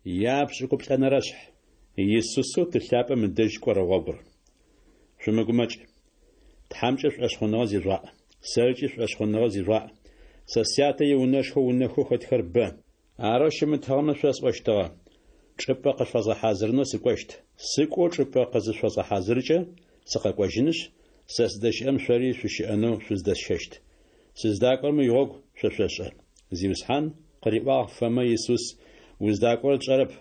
Япшӏыкӏуплӏэнэрэшъхь. Исусэу Ты лъапӏэм ыдэжь кӏорэ гъогур. Шъумыгумэкӏ. Тхьэмкӏэ шӏошъхъуныгъэ зижъугъаӏ. Сэркӏи шӏошъхъуныгъэ зижъугъаӏ. Сэ Сятэ иунэшхо унэхэу хэтхэр бэ. Арэу щымытыгъэмэ шъосӏощтыгъэ. Чӏыпӏэ къышъуфэзгъэхьазырынэу сыкӏощт. Сыкӏоу чӏыпӏэ къызышъуфэзгъэхьазыркӏэ, сыкъэкӏожьынышъ, сэ сыздэщыӏэм шъори шъущыӏэнэу шъуздэсщэщт. Сыздакӏорэм игъогу шъо шъошӏэ. Зиусхьан, къыриӏуагъ Фомэ Исус, уздакӏорэр тшӏэрэп.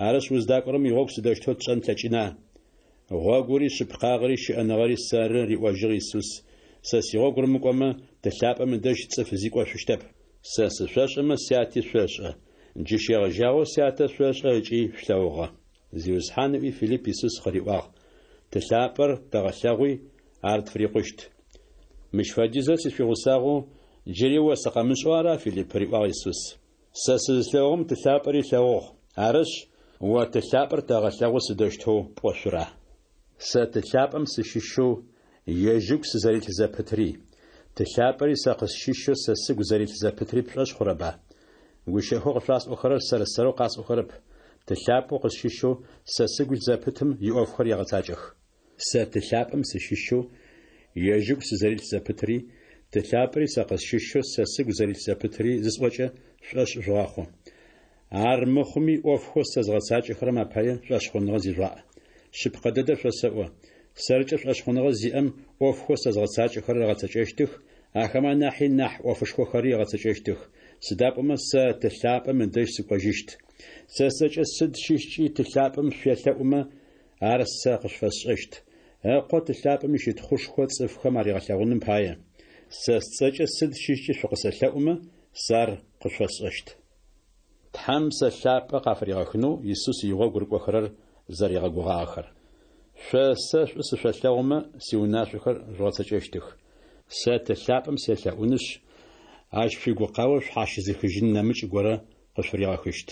Арышъ, уздакӏорэм игъогу сыдэущтэу тшӏэн тлъэкӏына? Гъогури, шъыпкъагъэри, щыӏэныгъэри сэры, риӏожьыгъ Исус. Сэ сигъогу рымыкӏомэ, Ты лъапӏэм ыдэжь цӏыф зи кӏошъущтэп. Сэ сышъошӏэмэ, Сяти шъошӏэ. Джы щегъэжьагъэу Сятэ шъошӏэ ыкӏи шъулъэгъугъэ. Зиусхьан ыӏуи Филипп Исус къыриӏуагъ, Ты лъапӏэр тэгъэлъэгъуи, ар тфырикъущт. Мыщ фэдизрэ сышъуигъусагъэу, джыри о сыкъэмышӏэу ара, Филипп? риӏуагъ Исус. Сэ сызылъэгъугъэм Ты лъапӏэри ылъэгъугъ. Арышъ, о Ты лъапӏэр тэгъэлъэгъу сыдэущтэу пӏошъура? Сэ Ты лъапӏэм сыщыщэу ежь ыгу сызэрилъ зэпытри, Ты лъапӏэри сэ къысщыщэу сэ сыгу зэрилъ зэпытри пшӏошъ хъурэба? Гущыӏэхэу къышъуасӏохэрэр сэр-сэрэу къасӏохэрэп, Ты лъапӏэу къысщыщэу сэ сыгу илъ зэпытым иӏофхэр егъэцакӏэх. Сэ Ты лъапӏэм сыщыщэу ежь ыгу сызэрилъ зэпытри, Ты лъапӏэри сэ къысщыщэу сэ сыгу зэрилъ зэпытри зысӏокӏэ, шъушӏошъ жъугъэхъу. Ар мыхъуми ӏофхэу сэ згъэцакӏэхэрэм апае шӏошъхъуныгъэ зижъугъаӏ. Шъыпкъэ дэдэр шъосэӏо, сэркӏэ шӏошъхъуныгъэ зиӏэм ӏофхэу сэ згъэцакӏэхэрэр ыгъэцэкӏэщтых, ахэмэ анахьи нахь ӏофышхохэри ыгъэцэкӏэщтых, сыда пӏомэ сэ Ты лъапӏэм ыдэжь сыкӏожьыщт. Сэ сцӏэкӏэ сыд щыщкӏи Ты лъапӏэм шъуелъэӏумэ, ар сэ къышъуфэсшӏэщт, Ыкъо Ты лъапӏэм ищытхъушхо цӏыфхэм аригъэлъэгъуным пае. Сэ сцӏэкӏэ сыд щыщкӏи шъукъысэлъэӏумэ, сэ ар къышъуфэсшӏэщт. Тхьэм Псэ Лъапӏэ къафыригъэхынэу Исус игъогу рыкӏохэрэр зэригъэгугъагъэхэр. Шъо сэ шӏу сышъолъэгъумэ, сиунашъохэр жъугъэцэкӏэщтых. Сэ Ты лъапӏэм селъэӏунышъ, ащ шъуигукъао шъхьащызыхыжьын нэмыкӏ горэ къышъуфыригъэхыщт.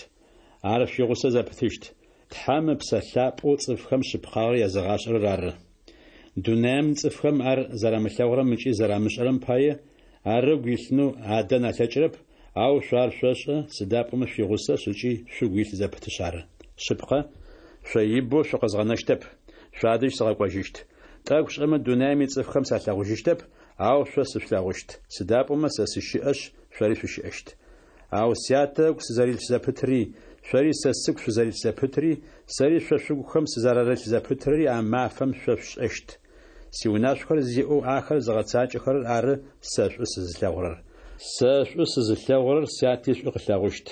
Ар шъуигъусэ зэпытыщт, Тхьэм Ыпсэ Лъапӏэу цӏыфхэм шъыпкъагъэр языгъашӏэрэр ары. Дунаим цӏыфхэм ар зэрамылъэгъурэм ыкӏи зэрамышӏэрэм пае, ар ыгу илъынэу адэн алъэкӏырэп, ау шъо ар шъошӏэ, сыда пӏомэ шъуигъусэшъ ыкӏи шъугу илъ зэпытышъ ары. Шъыпкъэ, шъо ибэу шъукъэзгъэнэщтэп, шъуадэжь сыкъэкӏожьыщт. Тӏэкӏу шӏэмэ дунаим ицӏыфхэм салъэгъужьыщтэп, ау шъо сышъулъэгъущт, сыда пӏомэ сэ сыщыӏэшъ, шъори шъущыӏэщт. Ау Сятэ ыгу сызэрилъ зэпытри, шъори сэ сыгу шъузэрилъ зэпытри, сэри шъо шъугухэм сызэрарылъ зэпытри а мафэм шъо шъушӏэщт. Сиунашъохэр зиӏэу ахэр зыгъэцакӏэхэрэр ары сэ шӏу сызылъэгъурэр. Сэ шӏу сызылъэгъурэр Сяти шӏу къылъэгъущт.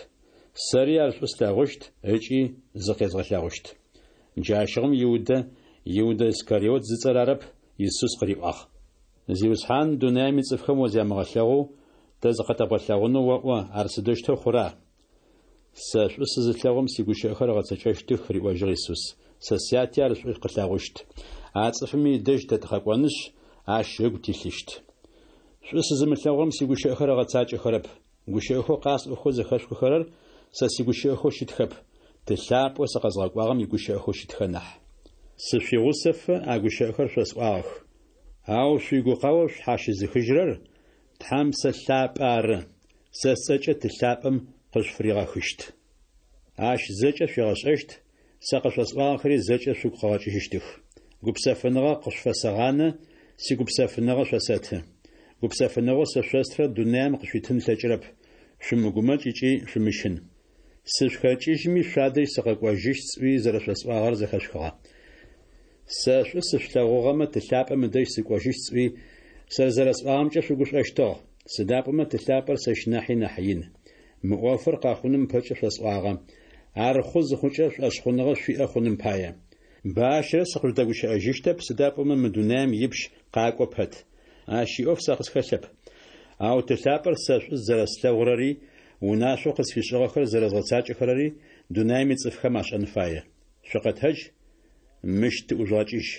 Сэри ар шӏу слъэгъущт ыкӏи зыкъезгъэлъэгъущт. Джащыгъум Иудэ, Иудэ Искариот зыцӏэр арэп, Исус къыриӏуагъ. Зиусхьан, дунаим ицӏыфхэм о зямыгъэлъэгъоу, тэ зыкъытэбгъэлъэгъунэу оӏо, ар сыдэущтэу хъура? Сэ шӏу сызылъэгъурэм сигущыӏэхэр ыгъэцэкӏэщтых, риӏожьыгъ Исус. Сэ Сяти ар шӏу къылъэгъущт. А цӏыфыми ыдэжь тэ тыкъэкӏонышъ, ащ ыгу тилъыщт. Шӏу сызымылъэгъурэм сигущыӏэхэр ыгъэцакӏэхэрэп. Гущыӏэхэу къасӏохэу зэхэшъухыхэрэр сэ сигущыӏэхэу щытхэп, Ты лъапӏэу сыкъэзгъэкӏуагъэм игущыӏэхэу щытхэ нахь. Сышъуигъусэфэ а гущыӏэхэр шъосӏуагъэх. Ау шъуигукъао шъхьащызыхыжьырэр Тхьэм Псэ Лъапӏэ ары, сэ сцӏэкӏэ Ты лъапӏэм къышъуфыригъэхыщт. Ащ зэкӏэ шъуигъэшӏэщт, сэ къышъосӏуагъэхэри зэкӏэ шъугу къыгъэкӏыжьыщтых. Гупсэфыныгъэ къышъуфэсэгъанэ, сигупсэфыныгъэ шъосэты. Гупсэфыныгъэу сэ шъостырэр дунаим къышъуитын ылъэкӏырэп. Шъумыгумэкӏ ыкӏи шъумыщын. Сышъухэкӏыжьми шъуадэжь сыкъэкӏожьыщт сӏуи зэрэшъосӏуагъэр зэхэшъухыгъэ. Сэ шӏу сышъулъэгъугъэмэ, Ты лъапӏэм ыдэжь сыкӏожьыщт сӏуи, зэрэсӏуагъэмкӏэ шъугушӏощтыгъ, сыда пӏомэ Ты лъапӏэр сэщ нахьи нахь ин. Мы ӏофыр къэхъуным ыпэкӏэ шъосӏуагъэ, ар хъу зыхъукӏэ шӏошъхъуныгъэ шъуиӏэ хъуным пае. Бащэрэ сыкъыжъудэгущыӏэжьыщтэп, сыда пӏомэ мы дунаим ипщ къакӏо пэт. Ащ иӏоф сэ къысхэлъэп. Ау Ты лъапӏэр сэ шӏу зэрэслъэгъурэри, унашъоу къысфишӏыгъэхэр зэрэзгъэцакӏэхэрэри дунаим ицӏыфхэм ашӏэн фае. Шъукъэтэдж, мыщ тыӏужъугъэкӏыжь.